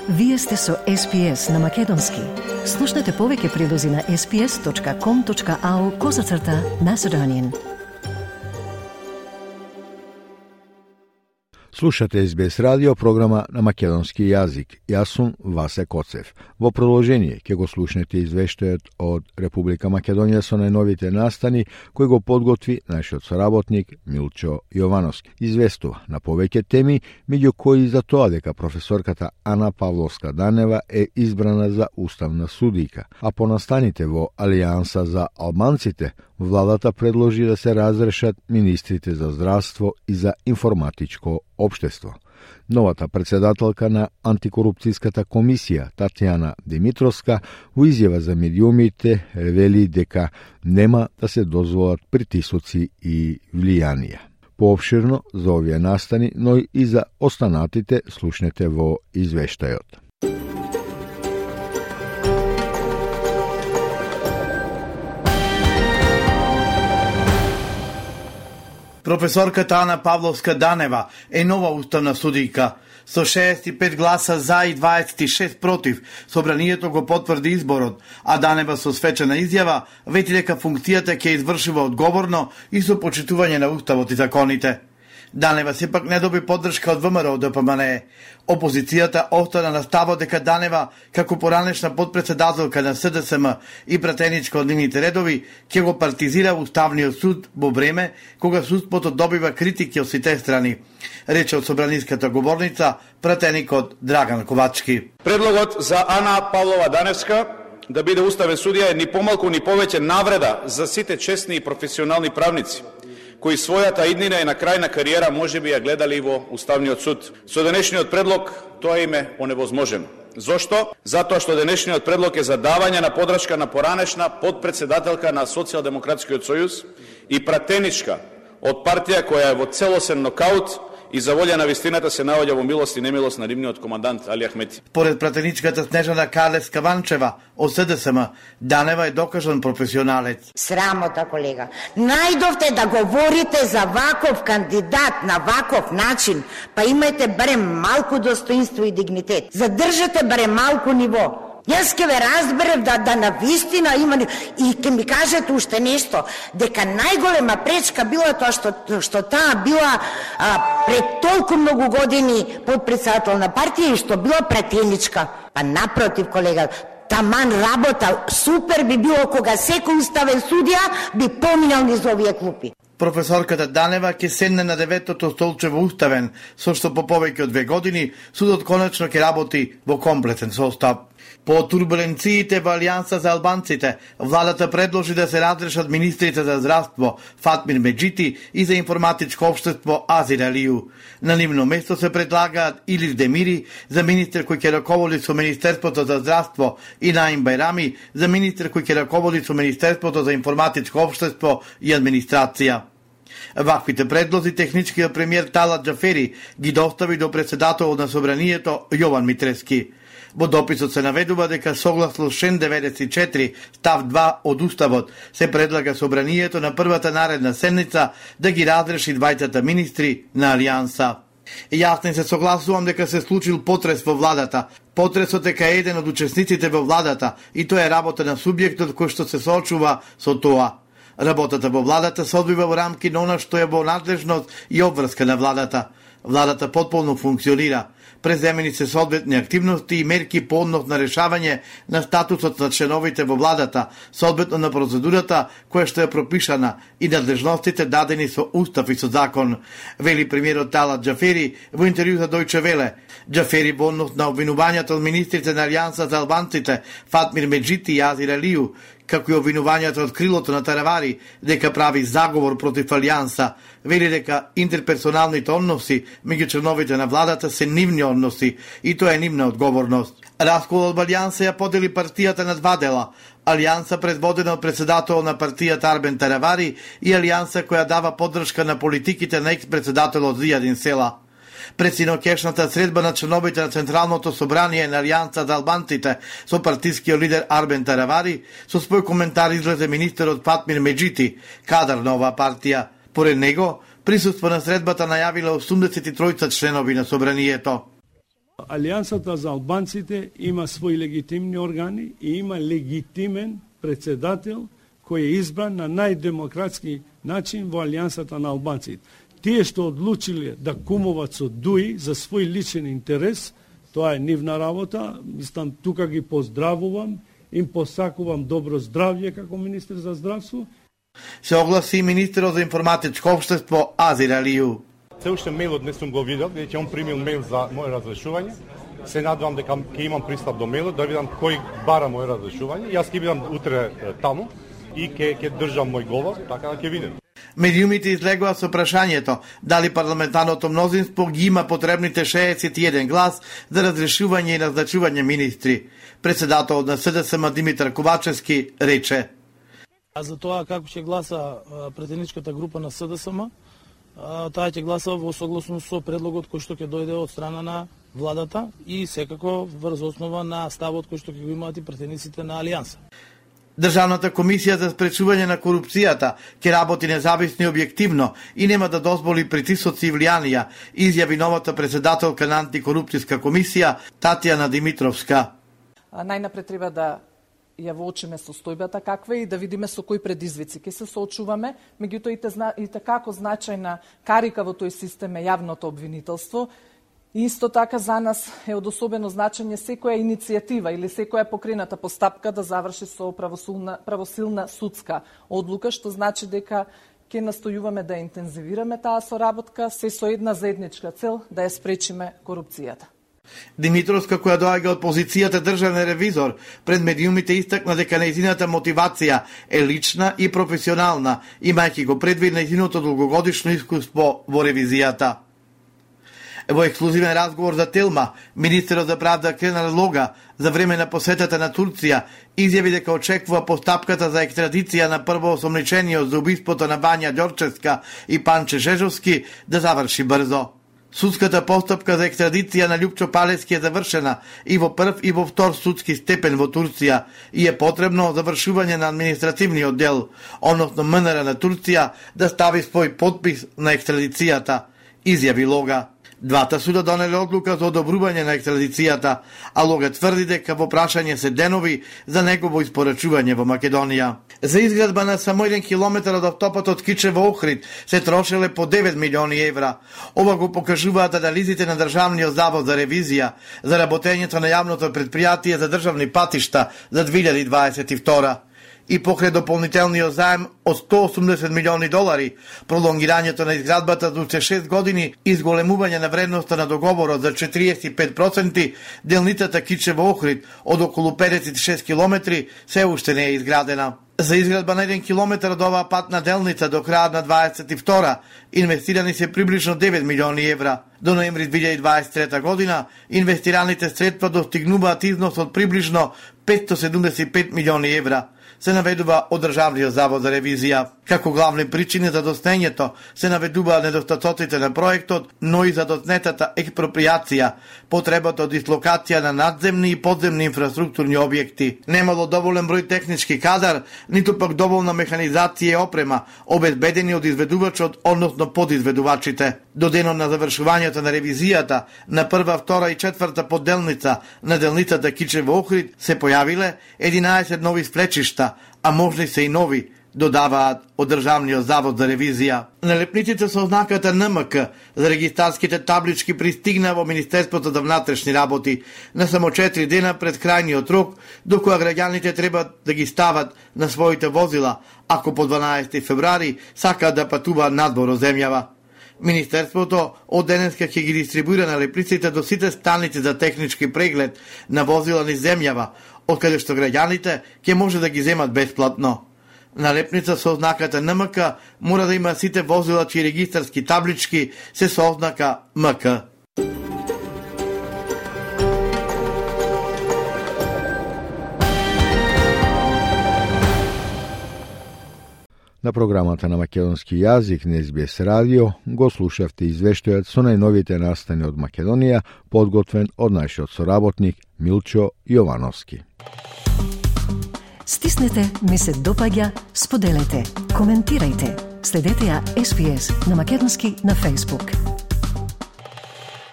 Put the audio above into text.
Вие сте со SPS на Македонски. Слушнете повеќе прилози на sps.com.au/Macedonian. Слушате СБС радио, програма на македонски јазик. Јас сум Васе Коцев. Во продолжение ќе го слушнете извештајот од Република Македонија со најновите настани кој го подготви нашиот соработник Милчо Јовановски. Известува на повеќе теми, меѓу кои за тоа дека професорката Ана Павловска-Данева е избрана за уставна судика, а по настаните во Алијанса за албанците, владата предложи да се разрешат министрите за здравство и за информатичко општество. Новата председателка на антикорупцијската комисија, Татјана Димитровска, во изјава за медиумите вели дека нема да се дозволат притисоци и влијанија. Поопширно за овие настани, но и за останатите слушнете во извештајот. Професорката Ана Павловска-Данева е нова уставна судика. Со 65 гласа за и 26 против, собранието го потврди изборот, а Данева со свечена изјава вети дека функцијата ќе извршува одговорно и со почитување на уставот и законите. Данева сепак не доби поддршка од ВМРО ДПМНЕ. Опозицијата остана на ставот дека Данева, како поранешна подпредседателка на СДСМ и пратеничка од нивните редови, ќе го партизира Уставниот суд во време кога судството добива критики од сите страни, рече од собраниската говорница пратеникот Драган Ковачки. Предлогот за Ана Павлова Даневска да биде уставен судија е ни помалку ни повеќе навреда за сите честни и професионални правници, кои својата иднина и на крај на кариера можеби ја гледали во Уставниот суд. Со денешниот предлог тоа им е оневозможено. Зошто? Затоа што денешниот предлог е за давање на подршка на поранешна подпредседателка на Социјалдемократскиот сојуз и пратеничка од партија која е во целосен нокаут и за волја на вистината се наоѓа во милост и немилост на нивниот командант Али Ахмети. Поред пратеничката Снежана Калевска-Ванчева од СДСМ, Данева е докажан професионалец. Срамота, колега. Најдовте да говорите за ваков кандидат на ваков начин, па имајте барем малку достоинство и дигнитет. Задржате барем малку ниво. Јас ке ве разберев да на вистина има и ке ми кажете уште нешто, дека најголема пречка била тоа што таа била пред толку многу години подпредседател на партија и што била пратеничка. Па напротив, колега, таман работа супер би било кога секој уставен судија би поминал низ овие клупи. Професорката Данева ќе седне на 9-тото столче во уставен, со што по повеќе од 2 години судот конечно ќе работи во комплетен состав. По турбуленциите во Алијанса за албанците, владата предложи да се разрешат министрите за здравство Фатмир Меджити и за информатичко општество Азир Алију. На нивно место се предлагаат Илир Демири за министер кој ќе раководи со Министерството за здравство и Наим Бајрами за министер кој ќе раководи со Министерството за информатичко општество и администрација. Ваквите предлози техничкиот премиер Талат Џафери ги достави до председателот на собранието Јован Митрески. Во дописот се наведува дека согласно член 94 став 2 од Уставот се предлага собранието на првата наредна седница да ги разреши двајцата министри на Алијанса. Јас не се согласувам дека се случил потрес во владата. Потресот е кај еден од учесниците во владата и тоа е работа на субјектот кој што се соочува со тоа. Работата во владата се одвива во рамки на она што е во надлежност и обврска на владата. Владата потполно функционира. Преземени се соодветни активности и мерки по однос на решавање на статусот на членовите во владата, соодветно на процедурата која што е пропишана и надлежностите дадени со устав и со закон, вели премиерот Талат Џафери во интервју за Дојче Веле. Џафери во однос на обвинувањата од министрите на Алијанса за албанците Фатмир Меджити и Азир Алију, како и обвинувањата од крилото на Таравари дека прави заговор против Алијанса, вели дека интерперсоналните односи меѓу членовите на владата се нивни односи и тоа е нивна одговорност. Расколот од Алијанса ја подели партијата на два дела. Алијанса предводена од председател на партијата Арбен Таравари и Алијанса која дава поддршка на политиките на екс-председателот Зијадин Села. Пред синокешната средба на членовите на Централното собрание на Алијанса за албанците со партискиот лидер Арбен Таравари, со свој коментар излезе министерот Фатмир Меджити, кадар на оваа партија. Поред него, присуство на средбата најавила 83 членови на собранието. Алијансата за албанците има своји легитимни органи и има легитимен председател кој е избран на најдемократски начин во Алијансата на албанците. Тие што одлучиле да кумуват со ДУИ за свој личен интерес, тоа е нивна работа. Мислам, тука ги поздравувам, им посакувам добро здравје како министер за здравство. Се огласи министерот за информатичко општество Азир Алију. Се уште мејлот не сум го видел, веќе он примил мејл за моје разрешување. Се надевам дека ќе имам пристап до мејлот, да видам кој бара моје разрешување. Јас ќе бидам утре таму и ќе држам мој говор, така да ќе видим. Медиумите излегува со прашањето дали парламентарното мнозинство ги има потребните 61 глас за разрешување и назначување министри. Председателот на СДСМ Димитар Ковачевски рече: А за тоа како ќе гласа претедничката група на СДСМ, таа ќе гласа во согласност со предлогот кој што ќе дојде од страна на владата и секако врз основа на ставот кој што ќе го имаат и претедниците на Алијанса. Државната комисија за спречување на корупцијата ќе работи независно и објективно и нема да дозволи притисоци и влијанија, изјави новата председателка на антикорупцијска комисија Татјана Димитровска. Најнапред треба да ја воочиме состојбата каква и да видиме со кои предизвици ќе се соочуваме, меѓутоа и како значајна карика во тој систем е јавното обвинителство. Исто така за нас е од особено значење секоја иницијатива или секоја покрената постапка да заврши со правосилна судска одлука, што значи дека ќе настојуваме да интензивираме таа соработка, се со една заедничка цел да ја спречиме корупцијата. Димитровска, која доаѓа од позицијата државен ревизор, пред медиумите истакна дека нејзината мотивација е лична и професионална, имајќи го предвид нејзиното долгогодишно искуство во ревизијата. Во ексклузивен разговор за Телма, министерот за правда Кенар Лога за време на посетата на Турција изјави дека очекува постапката за екстрадиција на првоосомничениот за убиството на Вања Ѓорчевска и Панче Жежовски да заврши брзо. Судската постапка за екстрадиција на Љупчо Палевски е завршена и во прв и во втор судски степен во Турција и е потребно завршување на административниот дел, односно МНР на Турција да стави свој подпис на екстрадицијата, изјави Лога. Двата суда донеле одлука за одобрување на екстрадицијата, а Лога тврди дека во прашање се денови за негово испорачување во Македонија. За изградба на само 1 километар од автопатот Кичево Охрид се трошеле по 9 милиони евра. Ова го покажуваат анализите на Државниот завод за ревизија за работењето на јавното предпријатие за државни патишта за 2022. И покрај дополнителниот заем од 180 милиони долари, пролонгирањето на изградбата за 6 години и изголемување на вредноста на договорот за 45%, делницата Кичево Охрид од околу 56 километри се уште не е изградена. За изградба на 1 километар од оваа патна делница до крајот на 22 инвестирани се приближно 9 милиони евра. До ноември 2023 година инвестираните средства достигнуваат износ од приближно 575 милиони евра. Се наведува од Државниот завод за ревизија. Како главни причини за доснењето се наведуваат недостатоците на проектот, но и за доснетата експроприација, потребата од дислокација на надземни и подземни инфраструктурни објекти. Немало доволен број технички кадар, ниту пак доволна механизација и опрема, обезбедени од изведувачот, односно подизведувачите. До денот на завршувањето на ревизијата на прва, втора и четврта подделница на делницата Кичево Охрид се појавиле 11 нови сплечишта, а можни се и нови, додаваат од Државниот завод за ревизија. Налепниците со ознаката НМК за регистарските таблички пристигна во Министерството за внатрешни работи на само 4 дена пред крајниот рок, до која граѓаните треба да ги стават на своите возила, ако по 12 февруари сакаат да патуваат надвор од земјава. Министерството од денеска ќе ги дистрибуира налепниците до сите станици за технички преглед на возила низ земјава, од каде што граѓаните ќе може да ги земат бесплатно. Налепница со ознаката НМК мора да има сите возила чии регистарски таблички се со ознака МК. На програмата на македонски јазик на СБС радио го слушавте извештајот со најновите настани од Македонија, подготвен од нашиот соработник Милчо Јовановски. Стиснете, ми се допаѓа, споделете, коментирајте. Следете ја SBS на македонски на Facebook.